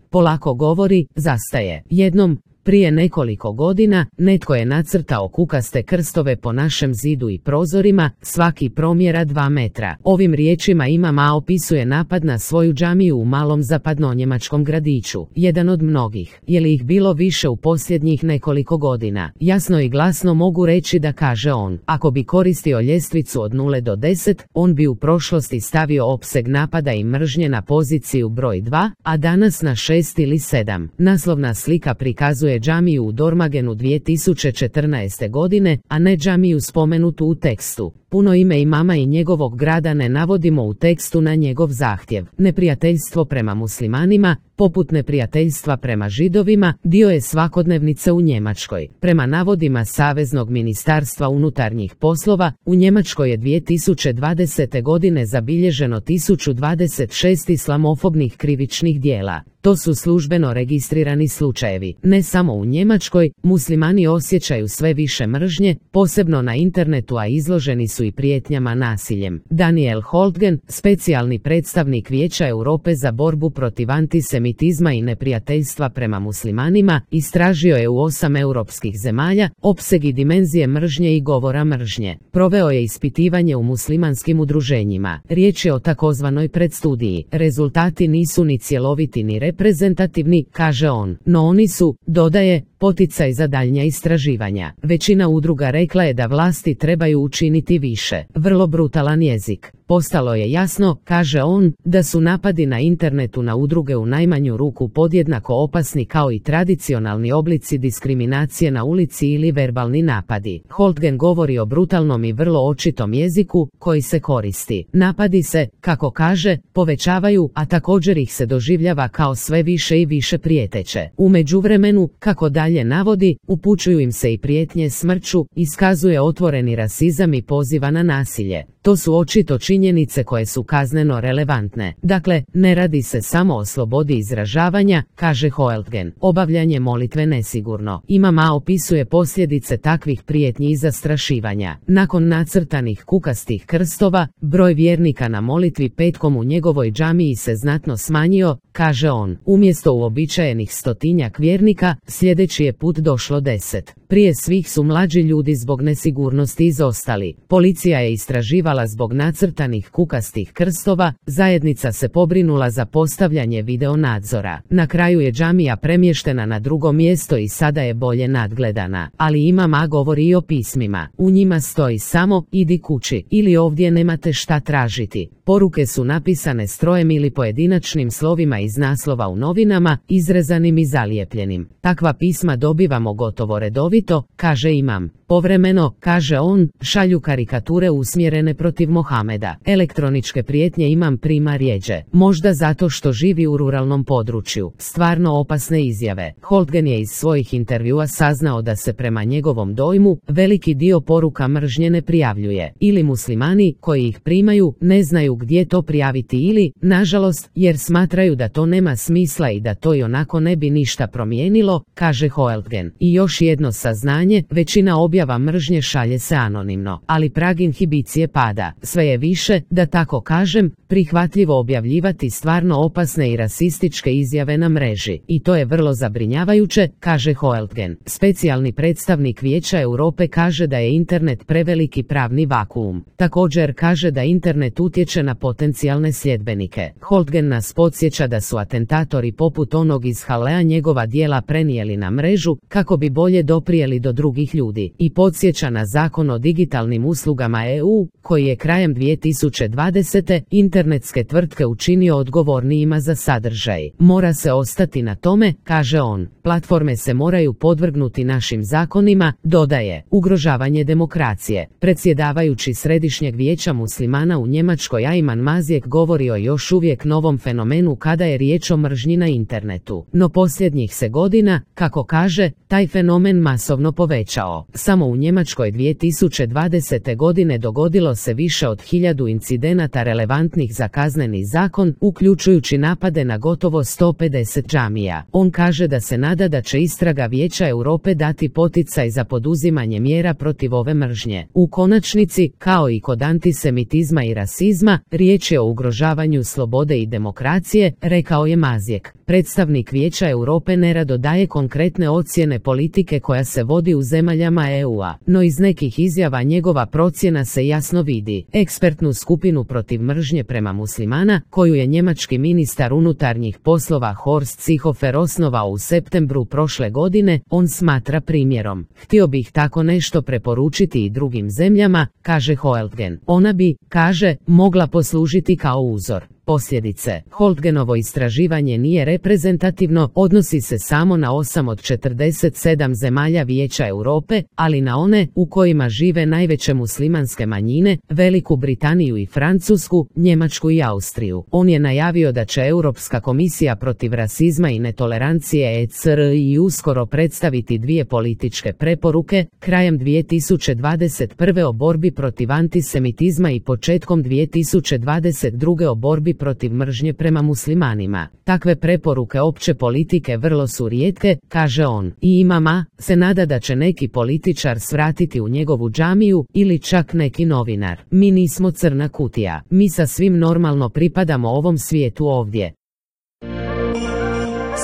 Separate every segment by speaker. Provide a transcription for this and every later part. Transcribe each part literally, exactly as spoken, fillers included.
Speaker 1: polako govori, zastaje. Jednom, prije nekoliko godina, netko je nacrtao kukaste krstove po našem zidu i prozorima, svaki promjera dva metra. Ovim riječima Imam A opisuje napad na svoju džamiju u malom zapadnonjemačkom gradiću, jedan od mnogih. Je li ih bilo više u posljednjih nekoliko godina? Jasno i glasno mogu reći da, kaže on, ako bi koristio ljestvicu od nule do deset, on bi u prošlosti stavio opseg napada i mržnje na poziciju broj dva, a danas na šest ili sedam. Naslovna slika prikazuje džamiju u Dormagenu dvije tisuće četrnaeste. godine, a ne džamiju spomenutu u tekstu. Puno ime imama i njegovog grada ne navodimo u tekstu na njegov zahtjev. Neprijateljstvo prema muslimanima, poput neprijateljstva prema židovima, dio je svakodnevnice u Njemačkoj. Prema navodima Saveznog ministarstva unutarnjih poslova, u Njemačkoj je dvije tisuće dvadesete. godine zabilježeno tisuću dvadeset šest islamofobnih krivičnih djela. To su službeno registrirani slučajevi. Ne samo u Njemačkoj, muslimani osjećaju sve više mržnje, posebno na internetu, a izloženi su i prijetnjama nasiljem. Daniel Holtgen, specijalni predstavnik Vijeća Europe za borbu protiv antisemitizma i neprijateljstva prema muslimanima, istražio je u osam europskih zemalja opseg i dimenzije mržnje i govora mržnje. Proveo je ispitivanje u muslimanskim udruženjima. Riječ je o takozvanoj predstudiji. Rezultati nisu ni cjeloviti ni reprezentativni, kaže on, no oni su, dodaje, poticaj za daljnja istraživanja. Većina udruga rekla je da vlasti trebaju učiniti više. Vrlo brutalan jezik. Postalo je jasno, kaže on, da su napadi na internetu na udruge u najmanju ruku podjednako opasni kao i tradicionalni oblici diskriminacije na ulici ili verbalni napadi. Holtgen govori o brutalnom i vrlo očitom jeziku koji se koristi. Napadi se, kako kaže, povećavaju, a također ih se doživljava kao sve više i više prijeteće. U međuvremenu, kako dalje navodi, upućuju im se i prijetnje smrću, iskazuje otvoreni rasizam i poziva na nasilje. To su očito činjenice koje su kazneno relevantne. Dakle, ne radi se samo o slobodi izražavanja, kaže Holtgen. Obavljanje molitve nesigurno. Imam A opisuje posljedice takvih prijetnji i zastrašivanja. Nakon nacrtanih kukastih krstova, broj vjernika na molitvi petkom u njegovoj džamiji se znatno smanjio, kaže on. Umjesto uobičajenih stotinjak vjernika, sljedeći je put došlo deset. Prije svih su mlađi ljudi zbog nesigurnosti izostali. Policija je istraživala zbog nacrtanih kukastih krstova, zajednica se pobrinula za postavljanje video nadzora. Na kraju je džamija premještena na drugo mjesto i sada je bolje nadgledana. Ali Imam A govori i o pismima. U njima stoji samo, idi kući, ili ovdje nemate šta tražiti. Poruke su napisane strojem ili pojedinačnim slovima iz naslova u novinama, izrezanim i zalijepljenim. Takva pisma dobivamo gotovo redovito, kaže Imam. Povremeno, kaže on, šalju karikature usmjerene protiv Mohameda. Elektroničke prijetnje Imam prima rjeđe. Možda zato što živi u ruralnom području. Stvarno opasne izjave. Holtgen je iz svojih intervjua saznao da se prema njegovom dojmu veliki dio poruka mržnje ne prijavljuje. Ili muslimani koji ih primaju ne znaju gdje to prijaviti ili, nažalost, jer smatraju da to nema smisla i da to i onako ne bi ništa promijenilo, kaže Holtgen. I još jedno saznanje, većina objava mržnje šalje se anonimno, ali prag inhibicije pada. Sve je više, da tako kažem, prihvatljivo objavljivati stvarno opasne i rasističke izjave na mreži. I to je vrlo zabrinjavajuće, kaže Holtgen. Specijalni predstavnik Vijeća Europe kaže da je internet preveliki pravni vakuum. Također kaže da internet utječe na potencijalne sljedbenike. Holtgen nas podsjeća da su atentatori poput onog iz Halea njegova djela prenijeli na mrežu kako bi bolje doprijeli do drugih ljudi. I podsjeća na zakon o digitalnim uslugama E U, koji je krajem dvije tisuće dvadesete. internetske tvrtke učinio odgovornijima za sadržaj. Mora se ostati na tome, kaže on. Platforme se moraju podvrgnuti našim zakonima, dodaje. Ugrožavanje demokracije. Predsjedavajući Središnjeg vijeća muslimana u Njemačkoj Ajman Mazijek govori o još uvijek novom fenomenu kada je riječ o mržnji na internetu. No posljednjih se godina, kako kaže, taj fenomen masovno povećao. Samo u Njemačkoj dvije tisuće dvadesete. godine dogodilo se se više od hiljadu incidenata relevantnih za kazneni zakon, uključujući napade na gotovo sto pedeset džamija. On kaže da se nada da će istraga Vijeća Europe dati poticaj za poduzimanje mjera protiv ove mržnje. U konačnici, kao i kod antisemitizma i rasizma, riječ je o ugrožavanju slobode i demokracije, rekao je Mazijek. Predstavnik Vijeća Europe nerado daje konkretne ocjene politike koja se vodi u zemaljama E U-a, no iz nekih izjava njegova procjena se jasno vidi. Ekspertnu skupinu protiv mržnje prema muslimana, koju je njemački ministar unutarnjih poslova Horst Seehofer osnovao u septembru prošle godine, on smatra primjerom. Htio bih tako nešto preporučiti i drugim zemljama, kaže Holtgen. Ona bi, kaže, mogla poslužiti kao uzor. Posljedice. Holtgenovo istraživanje nije reprezentativno, odnosi se samo na osam od četrdeset sedam zemalja Vijeća Europe, ali na one u kojima žive najveće muslimanske manjine, Veliku Britaniju i Francusku, Njemačku i Austriju. On je najavio da će Europska komisija protiv rasizma i netolerancije E C R I uskoro predstaviti dvije političke preporuke, krajem dvije tisuće dvadeset prve o borbi protiv antisemitizma i početkom dvije tisuće dvadeset druge o borbi protiv mržnje prema muslimanima. Takve preporuke opće politike vrlo su rijetke, kaže on, i imama se nada da će neki političar svratiti u njegovu džamiju ili čak neki novinar. Mi nismo crna kutija, mi sa svim normalno pripadamo ovom svijetu ovdje.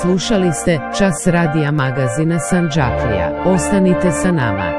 Speaker 1: Slušali ste Čas radija magazina Sandžaklija. Ostanite sa nama.